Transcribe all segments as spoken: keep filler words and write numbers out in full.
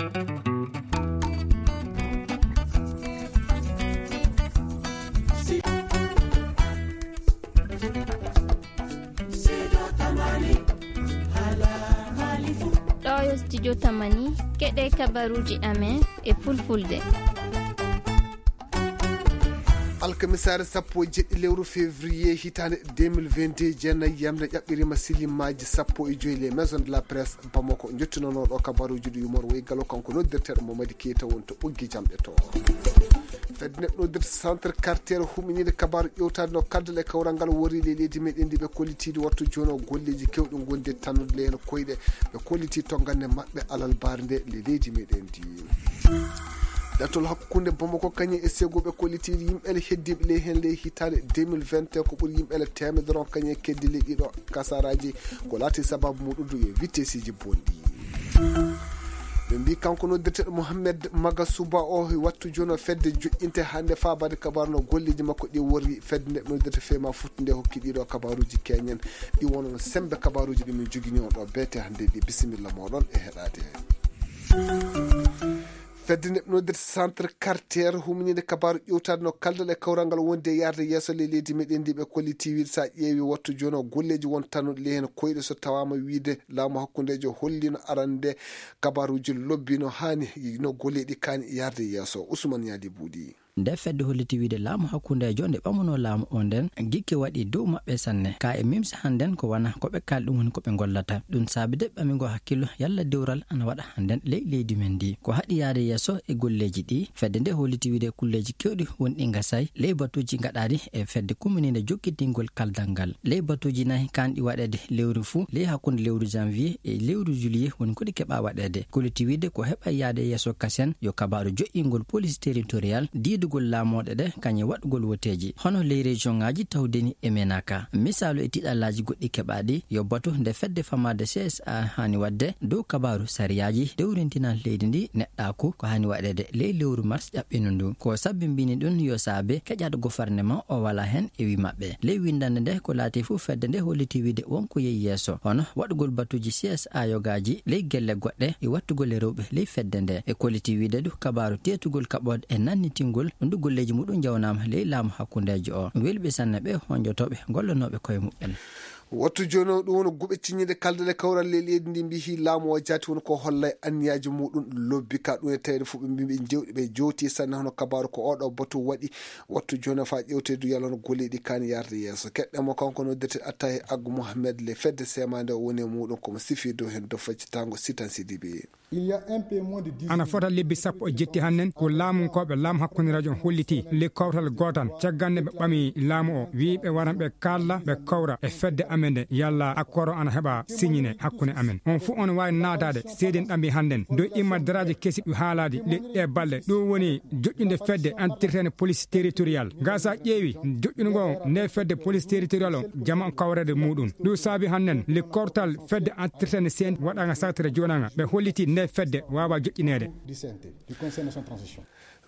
Ɗo yo studio Tamani, keɗe kabaruuji amen e fulfulde. Alkamisaare sappo e jeɗɗi lewru février hitaande deux mille vingt-deux, jeenayi yamre ƴaɓɓiriima silimaaji sappo e joy. Les maisons de la presse Bamako njottinonoo ɗo kabaruuji ɗi yumor woyi galo, kanko noddirteeɗo Mamadi Keita woni to ɓoggi jamɗe to. Fedde neɗɗo noddirte centre quartier huminiinde kabaaru ƴewtaade no kaldal e kawral ngal worri ley leydi meɗen ndi ɓe kollitiiɗi wattu jooni o golleeji kewɗi ngonde tannude ley heen koyɗe ɓe kolliti to ngannde maɓɓe alal baarnde ley leydi meɗen ndi. Ɗatol hakkunde Bamako kañum e Segu ɓe kollitiiɗi yimɓe le heddiiɓe ley heen ley hitaande deux mille vingt et un ko ɓuri yimɓe le teemedere on kañum e keddi ley ɗiɗo kasaraaji ko laati sababu muɗum ɗum e vitesiji bonɗi. Ɓe mbi kanko noddirteɗo Mohamed Magasuba o wattu jono fedde joƴƴinte hannde fabade kabaru no golleji makko ɗi worri fedde nde noddirte fema futtude hokki ɗiɗo kabaruji keñen ɗi wono no sembe kabaruji ɗi min jogini on ɗo beete hannde ɗi. Bisimilla moɗon e heɗade. Fedde nde noddirte centre quartier huminide kabaru ƴewtade no kaldal e kawral ngal wonde e yarde yeeso le leydi meɗen ndi ɓe kolliti wiide sa ƴeewi wattu jono golleji won tannuɗe le heen koyɗe so tawama wiide laamu hakkundejo hollino arande kabaruji lobbi no hani no golleɗi kani yarde yeeso. Usman Yadi Buuɗi. Nde fedde holliti wiide laamu hakkundejo nde ɓamuno laamu o nden gikke waɗi dow maɓɓe sanne. Ka e mimsa hannden ko wana ko ɓe kaali ɗum woni ko ɓe ngollata. Ɗum saabi de ɓamigo hakkillo yalla dewral ana waɗa hannden ley leydi men ndi. Ko haɗi yaade yeeso e golleeji ɗi, fedde nde holliti wiide kulleeji kewɗi woni ɗi ngasay ley batuuji gaɗaaɗi e fedde kummininde jokkitingol kaldal ngal. Ley batuuji nayi kanɗi waɗeede lewru fuu, ley hakkunde lewru janvier e lewru juillet woni ko ɗi keɓa waɗeede. Kolliti wiide ko heɓa yaade yeeso kasen yo kabaaru joƴƴingol police territorial, diidugol laamooɗe ɗe, kañum e waɗugol woteeji. Hono ley région ŋaaji tawdeni e menaka. Misaalu e tiɗallaaji goɗɗi keɓaaɗi, yo batu nde fedde famaade C S A haani waɗde dow kabaaru sariyaaji dewrintinal leydi ndi neɗɗaaku ko haani waɗeede ley lewru mars ƴaɓɓino ndu. Ko sabbi mbini ɗum yo saabe keƴaɗo gofarnema o wala heen e wi maɓɓe. Ley winndannde nde ko laati fof fedde nde holliti wiide wonko yehi yeeso, hono waɗugol batuuji C S A yogaaji ley gelle goɗɗe e wattugol e rewɓe ley fedde nde. E kolliti wiide du kabaaru teetugol kaɓoode e nannitingol ndu golleeji muɗum njawnaama ley laamu hakkundeejo o. Welɓe sanne ɓe honjotooɓe gollanooɓe koye muɓɓen. Wattu jooni o ɗum woni guɓe ciññiiɗe kaldal e kawral ley leydi ndi mbihi laamu o jaati woni ko hollay anniyaaji muɗum lobbi ka ɗum e tawde fof ɓe mbi ɓe jewɗi ɓe jowti sanne hono kabaaru ko oɗo batu waɗi. Wattu jooni o fa ƴewteedu yalon golleeɗi kan yarde yeeso keɗɗe mo kanko noddirte attahi aggu mohammed le fedde semande o woni e muɗum komo sifi dow heen do faccitango sitan sidibi. Il y a un peu moins de dix ana fota lebbi sappo e jetti hannen ko laamunkooɓe laamu hakkunde radio on holliti le kawtal gootal caggal nde ɓe ɓami laamu o wiyi ɓe waran ɓe kalla ɓe kawra e fedde amen nde yalla accord o ana heɓa signine hakkunde amen on fof on waawi naataade seedin ɗambi hannden dow imma daraaji kesi ɗi haalaadi le ɗe balɗe ɗum woni joƴƴunde fedde entretene police territorial ngasa ƴeewi joƴƴungo nde fedde police territorial o jama on kawrede muɗum ɗum saabi hannen le kortal fedde entretene sen waɗaanga sartere joɗaanga ɓe holliti nde fedde waawa joƴƴineede.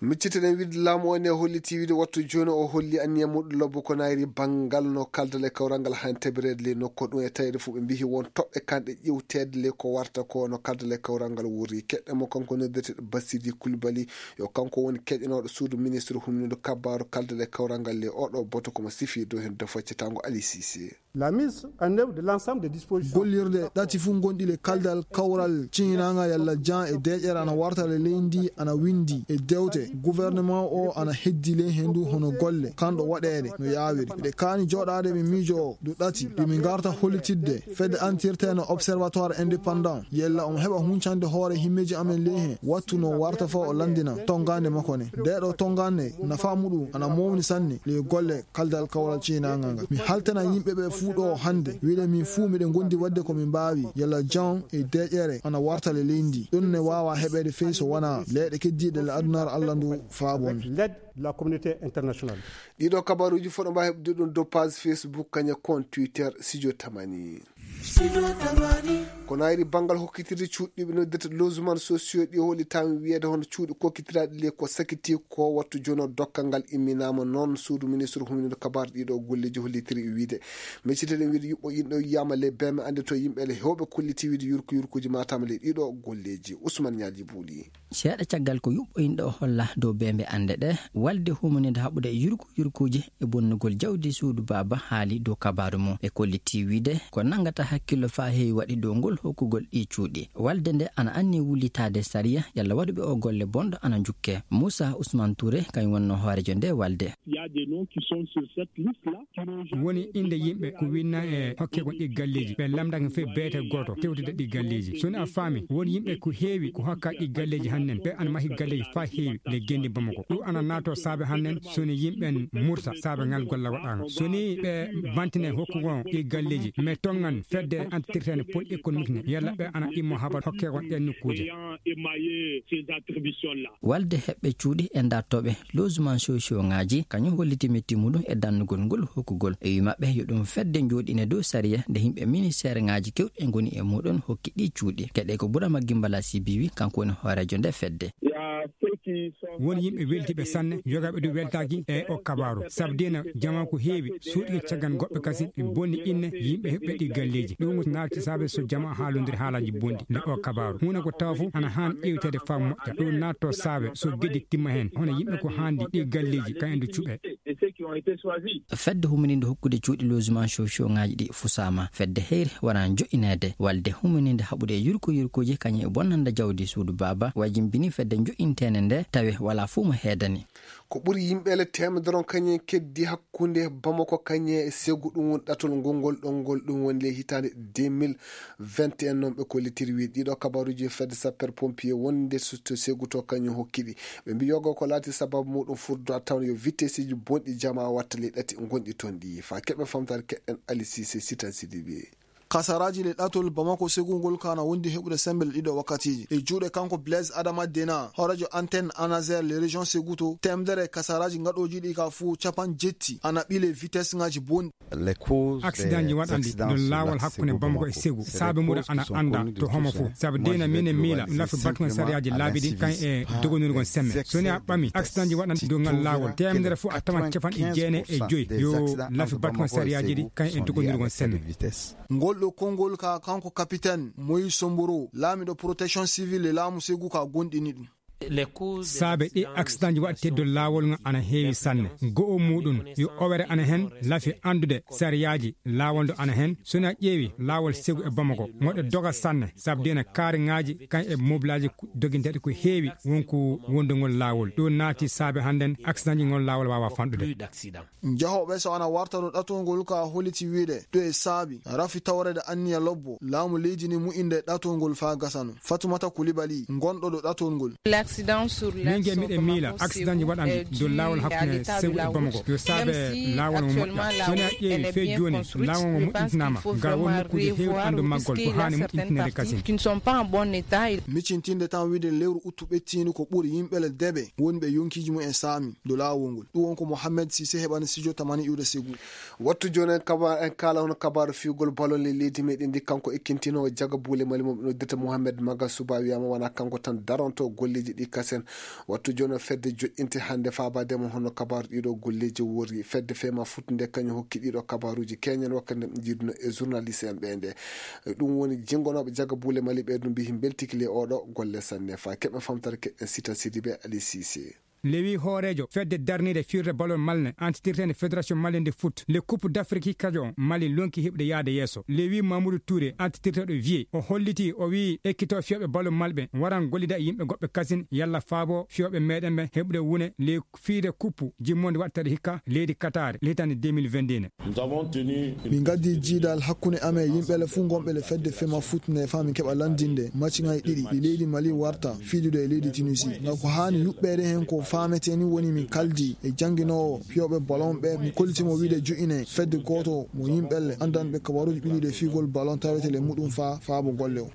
Micciteɗen wiide laamu o ne holliti wiide wattu jooni o holli anniya muɗum lobbo ko nayri banngal no kaldal e kawral ngal han tabireede ley nokko ɗum e tawde fof ɓe mbihi won toɓɓe kanɗe ƴewteede ley ko warta ko no kaldal e kawral ngal wurri keɗɗe mo kanko noddirteɗo basidi kulbali yo kanko woni keƴanooɗo suudu ministre humnude kabbaaru kaldal e kawral ngal ley oɗo boto komo sifi dow heen defo cetango ali sisi. La mise en œuvre de l'ensemble des dispositions gollirde ɗati fof gonɗi le kaldal kawral ciñinaanga yalla jan e deeƴere ana warta le leydi ana winndi e dewte gouvernement o ana heddi le henndu hono golle kanɗo waɗeede no yaawiri miɗe kaani jooɗaade mi miijo o du ɗati du mi ngarta hollitidde fedde antirte no observatoire indépendant yalla omo heɓa huncande hoore himmeeji amen ley heen wattu no warta fa o lanndina tonngaande makko ne ndeeɗo tonngaande nafa muɗum ana mawni sanne ley golle kaldal kawral ciinaangal ngal mi haltana yimɓe ɓe fuu ɗo hannde wiɗe min fuu miɗe ngondi waɗde ko min mbaawi yalla jan e deeƴere ana warta le leydi ɗum ne waawa heɓeede fey so wonaa leyɗe keddiiɗe le adunaare allah ndu faabon. L'aide de la communauté internationale. Ɗiɗo kabaruuji fof ɗo mbaawi heɓde ɗum dow page Facebook kaña compte Twitter studio tamani. Ko naayiri banngal hokkitirde cuuɗi ɓe noddirta logement sociaux ɗi, hollitaama wiyeede hono cuuɗi kokkitiraaɗi le ko sakiti ko wattu jono dokkal ngal imminaama noon suudu ministre humniiɗo kabaar ɗiɗo golleeji hollitiri wiide. Micciteɗen wiide yuɓɓo inɗo yiyama le beme ande to yimɓe le hewɓe kolliti wiide yurko yurkuji matama le ɗiɗo golleeji. Ousmane Ñaaji Buuli. Seeɗa caggal ko yuɓɓo inɗo o holla dow bembe ande ɗe walde humanide haɓude yurko yurkuji e bonnugol jawdi suudu baaba haali dow kabaaru mum e kolliti wiide ko nanngata hakkillo faa heewi waɗi dow ngol hokkugol ɗi cuuɗi. Walde nde ana anni wullitaade sariya yalla waɗuɓe o golle bonɗo ana njukke. Moussa Ousmane Touré kañum wonno hoorejo nde walde. Woni innde yimɓe ko winna e hokke kon ɗi galleeji ɓe lamndaka fof beete gooto tewtida ɗi galleeji. So ni a faami won yimɓe ko heewi ko hokka ɗi galleeji hannden ɓe ana mahi galleeji faa heewi le genndi bamako ɗum ana naato saabe hannden. So ni yimɓen murta saabe ngal golla waɗaanga so ni ɓe bantine hokkugo ɗi galleeji mais tongan fedde antirtene pol économique ne yalla ɓe ana immo habar hokke kon ɗen nokkuuje. Walde heɓɓe cuuɗi e dartooɓe logement sociaux ŋaaji kañum holliti metti muɗum e dannugol ngol hokkugol e wi maɓɓe yo ɗum fedde njooɗine dow sariya nde yimɓe ministeer ŋaaji kewɗi ngoni e muɗum hokki ɗi cuuɗi keɗe ko burama gimbala sibiwi kanko woni hoorejo nde fedde. Won yimɓe weltiɓe sanne yogaaɓe ɗum weltaaki e o kabaaru sabu dina jama ko heewi suuɗi caggal goɗɓe kasi bonni inne yimɓe heɓɓe ɗi galleeji ɗum naati saabe so jama haalondiri haalaji bonɗi nde o kabaaru huuna ko tawa fof ana haan ƴeewteede faa moƴƴa ɗum naatto saabe so geddi timma heen hono yimɓe ko haandi ɗi galleeji ka en ndu cuɓe. Fedde humininde hokkude cuuɗi logement sociaux ŋaaji ɗi fusaama fedde heyre wona joƴƴineede walde humininde haɓude e yurko yurkooji kañum e bonnande jawdi suudu baaba wajimbini fedde joƴƴinteende nde tawi wala fuu mo heedani. Ko ɓuri yimɓe le teemedere on kañum en keddi hakkunde bamako kañum e segu ɗum woni ɗatol ngol ngol ɗon ngol ɗum woni le hitaande deux mille vingt et un noon ɓe kollitiri wi ɗiɗo kabaruji fedde sapper pompier wonde to segu to kañum hokkiɗi ɓe mbi yogo ko laati sababu muɗum furdo a tawn yo vitesseji bonɗi jama watta le ɗati gonɗi toon ɗi fa keɓe famtare keɗɗen alisise sitan sidibi. Kasaraji le ɗatol bamako segugol kana wondi heɓude sembel ɗiɗo wakkatiji e juuɗe kanko blaise adama dena hoorejo antenne anazer le région seguto temdere kasaraji ngaɗoji ɗi ka fuu capan jetti ana ɓile vitesse ngaji bonɗi. Accident ji waɗanɗi ɗon laawol hakkunde bamako e segu saabe muɗa ana annda to homo fof sabu dina minen miila lafi batugol sariyaaji laabi ɗi kan e dogonirgol semme so ni a ɓami accident ji waɗanɗi dow ngal laawol temedere fof a tawan capanɗe jeenayi e joyi yo lafi batugol sariyaaji ɗi kan e dogonirgol semme. Ngol ɗo konngol ka kanko capitaine moïse somboro laamiɗo protection civile e laamu segu ka gonɗini ɗum. Saabe ɗi accident ji waɗte dow laawol ngal ana heewi sanne go'o muɗum yo owere ana heen lafi anndude sariyaaji laawol ndo ana heen so ni a ƴeewi laawol segu e bamako moɗo doga sanne sabu dina kaariŋaaji kan e mobilaaji doginteeɗi ko heewi wonko wondugol laawol ɗum naati saabe hannden accident ji ngol laawol waawa fanɗude. Jahooɓe so ana warta ɗo ɗatol ngol ka holliti wiide ɗo e saabi rafi tawreede anniya lobbo laamu leydi ni mu'inde ɗatol ngol faa gasano fatumata kulibali gonɗo ɗo ɗatol ngol. Min ge miɗen miila accident ji waɗanɗi dow laawol hakkunde segu e bamako yo saabe laawol mo moƴƴa so ni a ƴeewi fee jooni laawol ngo moƴƴintinaama ngal won nokkuuji heewɗi anndu maggol ko haani moƴƴintineede kasin. Miccintinde tan wiide lewru uttu ɓettiindu ko ɓuri yimɓe le deɓe woni ɓe yonkiiji mum en saami dow laawol ngol ɗum won ko mohammed sise heɓani studio tamani iwde segu. Wattu jooni en kaba en kaala hono kabaaru fiigol balon le leydi meɗen ndi kanko ekkintinoowo jaga buule mali mo ɓe noddirta mohammed maga suba wiyama wona kanko tan daronto golleeji ɗi kasen. Wattu jooni o fedde joƴƴinte hannde faabaade mo hono kabaaru ɗiɗo golleeji worri fedde fema futtude kañum hokki ɗiɗo kabaaruuji keñen wakkati nde jiiduno e journaliste en ɓe nde. Ɗum woni jingonooɓe jaga buule mali ɓe ɗum mbiyi mbeltiki le oɗo golle sanne fa keɓe famtare keɓe sita sidibe ali sise. Lewi hooreejo fedde darniiɗe fiirde balol malne antitirteende fédération malien de foot le coupe d'afrique kajo on mali lonki heɓude yaade yeeso lewi mamoudou touré antitirteeɗo vieux o holliti o wii ekkito fiyooɓe balol malɓe waran gollida e yimɓe goɓɓe kasin yalla faabo fiyooɓe meɗen ɓe heɓude wune le fiide coupe jimmonde waɗteɗo hikka leydi katare le hitande deux mille vingt et un. Min ngaddi jiidal hakkunde amen e yimɓe le fuu gonɓe le fedde fema foot nde faa min keɓa lanndinde macciŋaaji ɗiɗi ɗi leydi mali warta fiidude e leydi tunisi ngal ko haani yuɓɓeede heen ko. Faametee ni woni mi kaldi e jannginoowo fiyooɓe ballon ɓe, mi kolliti mo wiide ju'ine fedde gooto mo yimɓelle anndanɓe kabaruuji ɓiluɗe fiigol ballon tawetee le muɗum faa faabo golle o.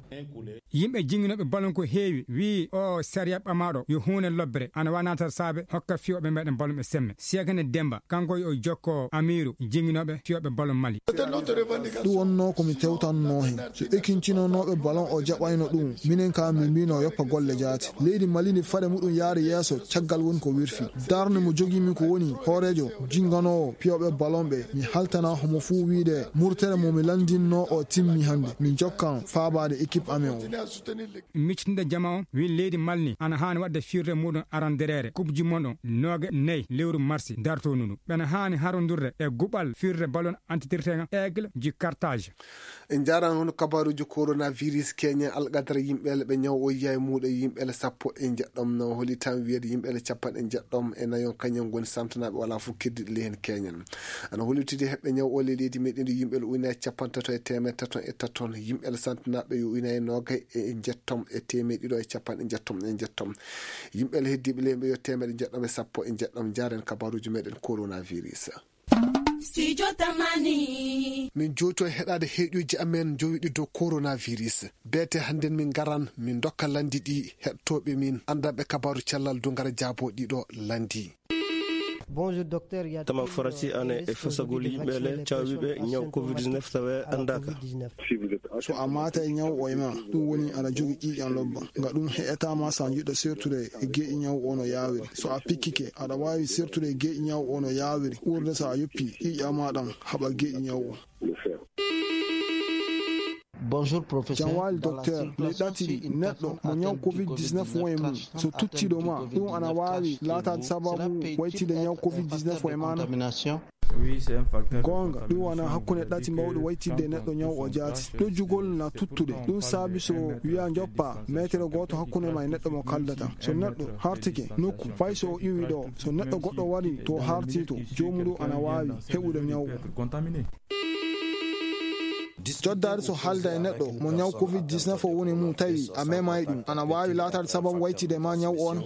Yimɓe jannginooɓe ballon ko heewi wi'i o sariya ɓamaaɗo yo huune lobbere ana waawi naataade saabe hokka fiyooɓe meɗen ballon ɓe semme. Seekane Demba, kanko yo jokko Amiiru jannginooɓe fiyooɓe ballon Mali. Ɗum wonnoo ko mi tewtannoo heen. So ekintinonooɓe ballon o jaɓayno ɗum, minen ka min mbino yoppa golle jaati. Leydi Mali ndi fade muɗum yaari yeeso caggal woni ko wirfi. Darnde mo jogimi ko woni hooreejo jinganoowo piyooɓe ballon ɓe. Mi haltana homo fuu wiide murtere mo mi lanndinno o timmi hannde. Min jokkan faabaade équipe amen o. Miccitinde jama o, wi leydi Mali ni ana haani waɗde firre muɗum arandereere Coupe du Monde o, nooga nayi lewru marsi dartoondu ndu. Ɓena haani harondurde e guɓal firre ballon antitirtenga Aigle du Carthage. En njaaraama hono kabaaruuji coronavirus keñen alqadara yimɓe ɓe ñaw o yaay muuɗo yimɓe sappo e njeɗɗom no holi tan wiyeede yimɓe capanɗe njeɗɗom e nayon kañum ngoni santanaaɓe wala fof keddiɗo ley heen keñen. Ana hollitidi heɓɓe ñaw o ley leydi meɗen ndi yimɓe ujunaaji capanɗe tato e teemedde tato e tato, yimɓe santanaaɓe yo ujunaaji noogay e njeɗɗom e teemedde ɗiɗo e capanɗe njeɗɗom e njeɗɗom. Yimɓe heddiiɓe ley ɓe yo teemedde njeɗɗom e sappo e njeɗɗom. Njaaren kabaaruuji meɗen coronavirus. Studio Tamani. Min jooto e heɗaade heeƴuuji amen jowiɗi dow coronavirus. Beete hannden min ngaran min ndokka lanndi ɗi heɗtooɓe min anndanɓe kabaaru cellal du ngara jaabo ɗiɗo lanndi. Tama farati ane e fasagol yimɓe le caawiɓe ñaw covid dix-neuf tawe anndaaka. So a maata e ñaw o e ma, ɗum woni aɗa jogi ƴiiƴan lobba. Nga ɗum heƴataama so a jiɗɗo sertude e geeƴi ñaw o no yaawiri. So a pikkike, aɗa waawi sertude e geeƴi ñaw o no yaawiri. Ɓurde so a yoppi ƴiiƴa ma ɗan haɓa geeƴi ñaw o. Bonjour, professeur. Jam waali, docteur. Le ɗati ɗi, neɗɗo mo ñaw covid dix-neuf won e mum, so tuttiɗo ma, ɗum ana waawi laataade sababu waytide ñaw covid dix-neuf o e maana? Goonga, ɗum wona hakkunde ɗati mawɗi waytidde neɗɗo ñaw o jaati. Ɗojjugol na tuttude. Ɗum saabi so wiya njoppa meetere gooto hakkunde ma e neɗɗo mo kaldata. So neɗɗo hartike nokku, fay so o iwi ɗo, so neɗɗo goɗɗo wari to harti to, joomu ɗum ana waawi heɓude ñaw o. Joddaade so haalda e neɗɗo mo ñaw covid dix-neuf o woni mum tawi a memaay ɗum, ana waawi laataade sababu waytide ma ñaw o on.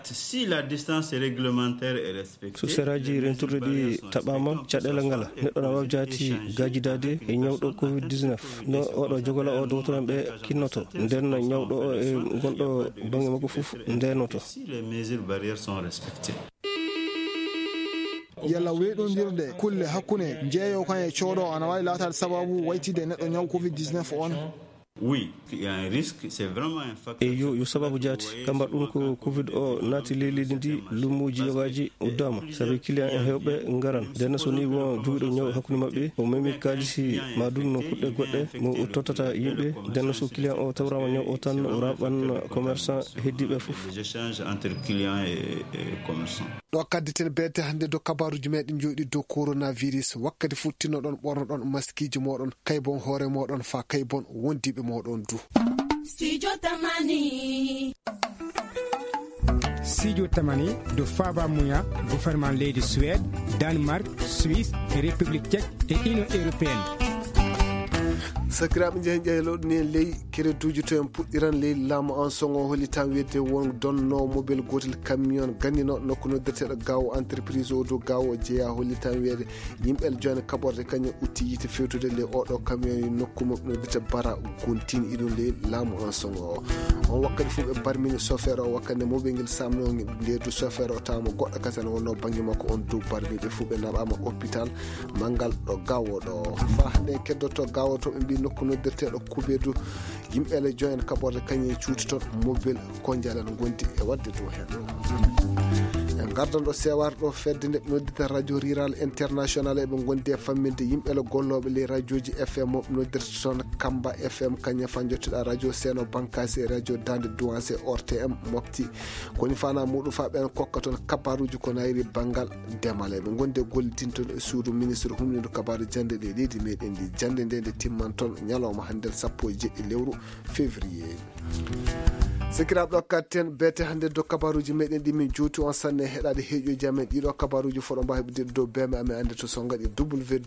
Si la distance réglementaire est respectée, so seraaji renturɗi ɗi taɓaama, caɗeele ngala. Neɗɗo na waawi jaati gaajidaade e ñawɗo covid dix-neuf. No oɗo jogola o dowtoran ɓe kinnoto. Nden ñawɗo o e gonɗo bannge makko fof ndenoto. Si les mesures barrières sont respectées. Yalla weeɗondirde kulle hakkunde jeeyo kan e cooɗo ana waawi laataade sababu waytide neɗɗo ñaw covid dix-neuf on? Oui, il y a un risque, c'est vraiment un facteur. Eyo, yo sababu jaati. Kambar ɗum ko covid o naati ley leydi ndi, lumuuji yogaaji uddaama. Sabi client en heewɓe ngaran. Nden so ni won jogiiɗo ñaw hakkunde maɓɓe, o memi kaalisi ma ɗum no kuɗɗe goɗɗe, mo o tottata yimɓe. Nden so client o tawraama ñaw o tan, o raɓan commerçant heddiiɓe fof. Les échanges entre clients et, et commerçants. Ɗo kadditen beete hannde dow kabaaruuji meɗen jooɗi dow coronavirus. Wakkati futtinoɗon ɓornoɗon maskiiji moɗon, kaybon hoore moɗon faa kaybon wondiiɓe moɗon du. Studio Tamani. Studio Tamani, dow faaba muya, gouvernement leydi Suède, Danemark, Suisse, e République Tchèque, e Union Européenne. Sakiraaɓe, njehen ƴeeloɗen en ley kereduuji to en puɗɗiran ley laamu an soŋo hollitan wiyde won donno mobel gootel camion gannino nokku noddirteeɗo Gaawo entreprise o dow Gaawo jeeya hollitan wiyde yimɓe joine kaɓorde kañum utti yiite fewtude ley oɗo camion e nokku mo noddirta Bara Guntin iɗum ley laamu an soŋo o. On wakkati fof ɓe barmini chauffeur o wakkati nde mobel ngel samno nde du chauffeur o tawama goɗɗo kasen wonno bannge makko on dow barmi ɓe fof ɓe naɓama hôpital Manngal ɗo Gaawo ɗo. Faa hannde en keddotoo Gaawo to ɓe mbii nokku noddirteeɗo Kubedu. Yimɓe le join kaɓorde kañum cuuti toon mobile ko njalen ngondi e waɗde dow heen. En ngardan ɗo Sewar ɗo fedde nde ɓe noddita Radio Rural International eɓe ngondi e famminde yimɓe le gollooɓe ley radiooji F M mo ɓe noddirta toon Kamba F M kañum faa njottiɗa Radio Seno Bankasi e Radio Dande Duwanse O R T M Mopti. Koni fana muɗum fa ɓen kokka toon kabaruuji ko nayri banngal demal. Eɓe ngondi e gollidintoon e suudu ministre humnindu kabaru jannde ɗe leydi meɗen ndi. Jannde nde nde timman toon ñalawma hannde sappo e jeɗɗi lewru février. Sikiraaɓe ɗo katten beete hannde dow kabaruuji meɗen ɗi min juuti on sanne heɗaade heeƴoji amen ɗiɗo kabaruuji foɗo mbawi ɓe dow beme amen annde to so ngaɗi www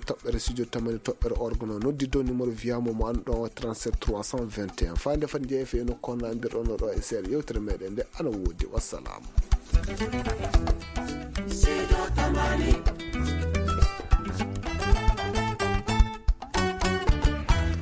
toɓɓere studio tamani toɓɓere org no noddi dow numéro wiyamo mo an ɗo trente-sept trois cent vingt et un fayde fat jeeya fe no konna mbirɗono ɗo e seeɗa yewtere meɗen nde ana woodi. Wassalam.